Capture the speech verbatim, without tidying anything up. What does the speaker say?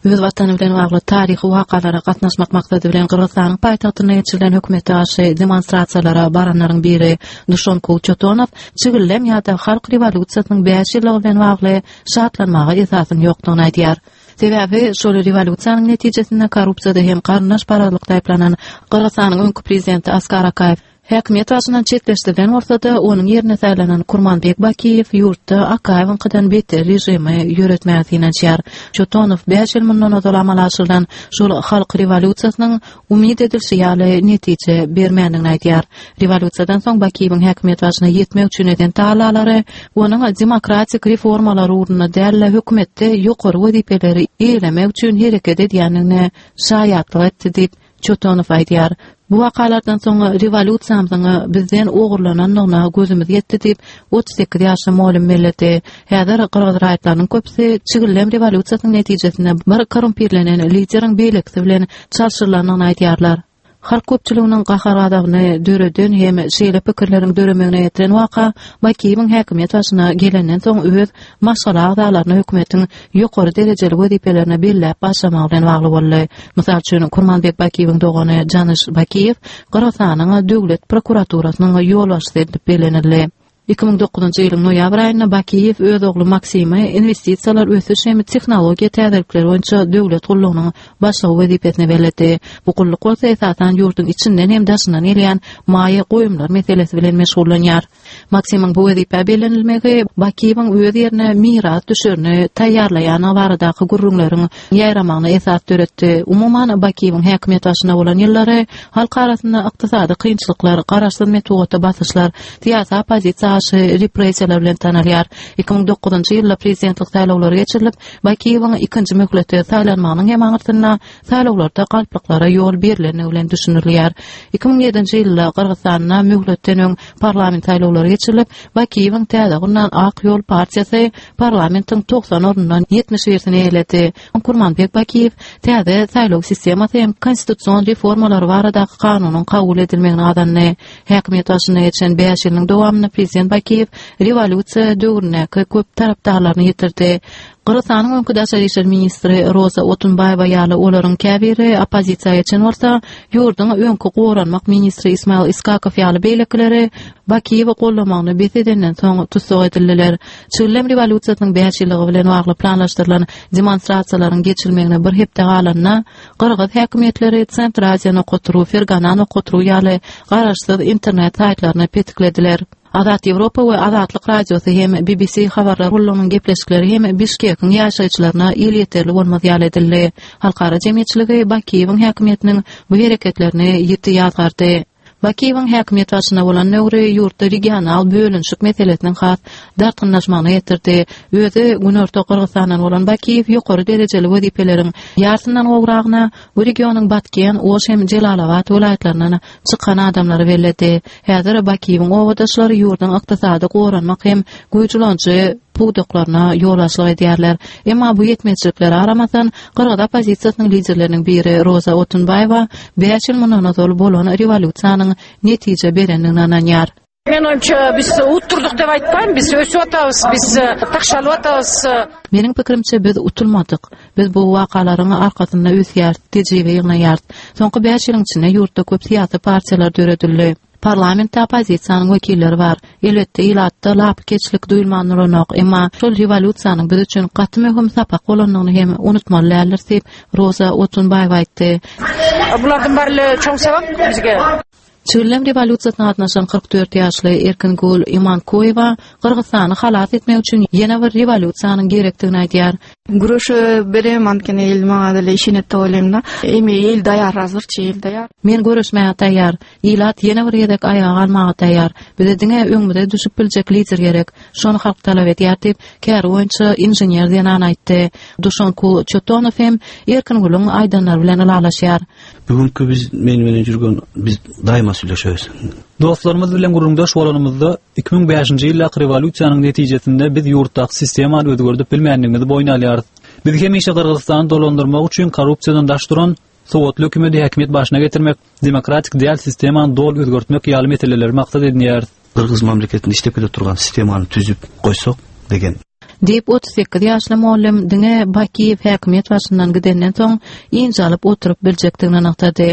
Öz watany bilen bagly taryhy wakalara gatnaşmak maksady bilen Gyrgyzystanyň paýtagtynda geçirilen hökümete garşy demonstrasiýalara baranlaryň biri Duşonkul Çotonow çigildem ýa-da halk rewolýusiýasynyň bäş ýyllygy bilen bagly şatlanmaga esasyň ýokdugyny aýdýar. Sebäbi şol rewolýusiýanyň netijesinde korrupsiýada hem garyndaşparazlykda aýyplanan Gyrgyzystanyň öňki prezidenti Askar Akaýew häkimiýet başyndan çetleşdirilen bolsa-da, onuň ýerine saýlanan Kurmanbek Bakiýew ýurtda Akaýewiňkiden beter režimi ýöretmäge synanyşýar. Çotonow bäş ýyl mundan ozal amala aşyrylan şol halk rewolýusiýasynyň umyt edilişi ýaly netije bermändigini aýdýar. Rewolýusiýadan soň Bakiýewiň häkimiýet başyna ýetmek üçin eden tagallalary onuň demokratik reformalar ugrunda däl-de, hökümetde ýokary wezipeleri eýelemek üçin hereket edýändigine şaýatlyk etdi diýip, Çotonow aýdýar. Bu wakalardan soň rewolýusiýamyzyň bizden ogurlanandygyna gözümiz ýetdi diýip, otuz sekiz ýaşly mugallym belledi. Häzir gyrgyz raýatlarynyň köpüsi çigildem rewolýusiýasynyň netijesinde bir korrumpirlenen lideriň beýlekisi bilen çalşyrylandygyny aýdýarlar. Halk köpçüliginiň gahar-gazabyny döreden hem şeýle pikirleriň döremegine getiren waka Bakiýewiň häkimiýet başyna gelenden soň öz maşgala agzalaryny hökümetiň ýokary derejeli wezipelerine belläp başlamagy bilen bagly boldy. Mysal üçin, Kurmanbek Bakiýewiň dogany Janyş Bakiýew Gyrgyzystanyň Döwlet prokuraturasynyň ýolbaşçysy edilip bellenildi. Iki müň dokuzynjy ýylyň noýabr aýynda Bakiýew öz ogly Maksimy Inwestisiýalar, ösüş hem tehnologiýa täzelikleri boýunça döwlet gullugynyň başlygy wezipesine belledi. Bu gulluk bolsa esasan ýurduň içinden hem daşyndan gelýän maýa goýumlar meselesi bilen meşgullanýar. Maksimyň bu wezipä bellenilmegi Bakiýewiň öz ýerine miras düşerini taýýarlaýandygy baradaky gürrüňleriň ýaýramagyna esas döretdi. Umuman, Bakiýewiň häkimiýet başynda bolan ýyllary halk arasynda ykdysady kynçylyklar, garaşsyz metbugata basyşlar, syýasy oppozisiýa garşy repressiýalar bilen tanalýar. Iki müň dokuzynjy ýylda prezidentlik saýlawlary geçirilip, Bakiýewiň ikinji möhlete saýlanmagynyň hem aňyrsynda saýlawlarda galplyklara ýol berlendigi bilen düşündirilýär. Iki müň ýedinji ýylda Gyrgyzystanda möhletden öň parlament saýlawlary geçirilip, Bakiýewiň täze gurnan Ak ýol partiýasy parlamentiň togsan ornundan ýetmiş birisini eýeledi. Kurmanbek Bakiýew täze saýlaw sistemasy hem konstitusion reformalary baradaky kanunyň kabul edilmegini gazandy. Häkimiýet başynda geçen bäş ýylyň dowamynda prezident Bakiýew rewolýusiýa döwründäki köp tarapdarlaryny ýitirdi. Gyrgyzystanyň öňki daşary işler ministri Roza Otunbaýewa ýaly olaryň käbiri oppozisiýa geçen bolsa, ýurduň öňki goranmak ministri Ismail Iskakow ýaly beýlekileri Bakiýewi goldamagyny bes edenden soň tussag edildiler. Çigildem rewolýusiýasynyň bäş ýyllygy bilen bagly planlaşdyrylan demonstrasiýalaryň geçirilmegine bir hepde galanda, gyrgyz häkimiýetleri Centraziýa nokat ru, Fergana nokat ru ýaly garaşsyz internet saýtlaryny petiklediler. Azat Ýewropa we Azatlyk Radiosy hem B B C habarlar gullugynyň gepleşikleri hem Bişkekiň ýaşaýjylaryna elýeterli bolmaz ýaly edildi. Halkara jemgyýetçiligi Bakiýewiň häkimiýetiniň bu hereketlerini ýiti ýazgardy. Bakiýewiň häkimiýet başynda bolan döwri ýurtda regional bölünişik meselesiniň has dartgynlaşmagyna getirdi. Özi Günorta Gyrgyzstandan bolan Bakiýew ýokary derejeli wezipeleriň ýarsyndan gowragyna bu regionyň Batken, Oş hem Jelalabat welaýatlaryndan çykan adamlary belledi. Häzir Bakiýewiň obadaşlary ýurduň ykdysady goranmak hem güýç ulanyjy pudaklaryna ýolbaşçylyk edýärler. Emma bu ýetmezçiliklere garamazdan, gyrgyz oppozisiýasynyň liderleriniň biri Roza Otunbaýewa bäş ýyl mundan ozal bolan rewolýusiýanyň netije berendigine ynanýar. Men oýunça biz utdurdyk dep aýtmaýyn, biz ösüp atabys, biz takşalyp atabys. Meniň pikirimçe biz utulmadyk. Biz bu wakalaryň arkasynda ösýäris, tejribe ýygnaýarys. Soňky bäş ýylyň içinde ýurtda köp syýasy partiýalar döredildi. Parlamentde oppozisiýanyň wekilleri bar. Elbetde, ilatda lapykeçlik duýulman duranok, emma şol rewolýusiýanyň biz üçin gaty möhüm sapak bolandygyny hem unutmaly däldiris diýip, Roza Otunbaýewa aýtdy. Bulardan barly çoň sabak bizge. Çigildem rewolýusiýasyna gatnaşan kyrk dört ýaşly Erkingul Imankoýewa Gyrgyzystany halas etmek üçin ýene bir rewolýusiýanyň gerekdigini aýdýar. Güreşe berem, antkeni el maňa dile işine toýlymda. Emi el daýar hazyrçy, el daýar. Men göreşmäge taýýar. Ilat ýene bir gezek aýaga galmaga taýýar. Bize diňe öňümize düşüp biljek lider gerek. Şony halk talap edýär diýip, käri boýunça inžener zenan aýtdy. Duşankul Çotonow hem Erkinguluň aýdanlary bilen ylalaşýar. Bugünkü biz men bilen jürgen biz daýma süleşeris. Dostlarymyz bilen gürrüňdeş bolanymyzda iki müň bäşinji ýyldaky rewolýusiýanyň netijesinde biz ýurtdaky sistemany özgerdip bilmändigimizi boýun alýarys. Biz hemişe Gyrgyzystany dolandyrmak üçin korrupsiýadan daş duran sowatly hökümeti häkimiýet başyna getirmek, demokratik däl sistemany doly özgertmek ýaly meseleleri maksat edinýäris. Gyrgyz mamleketinde işlep kele turgan sistemany tüzüp goýsak degen. Diýip otuz sekiz ýaşly mugallym diňe Bakiýew häkimiýet başyndan gidenden soň ynjalyp oturyp biljekdigini nygtady.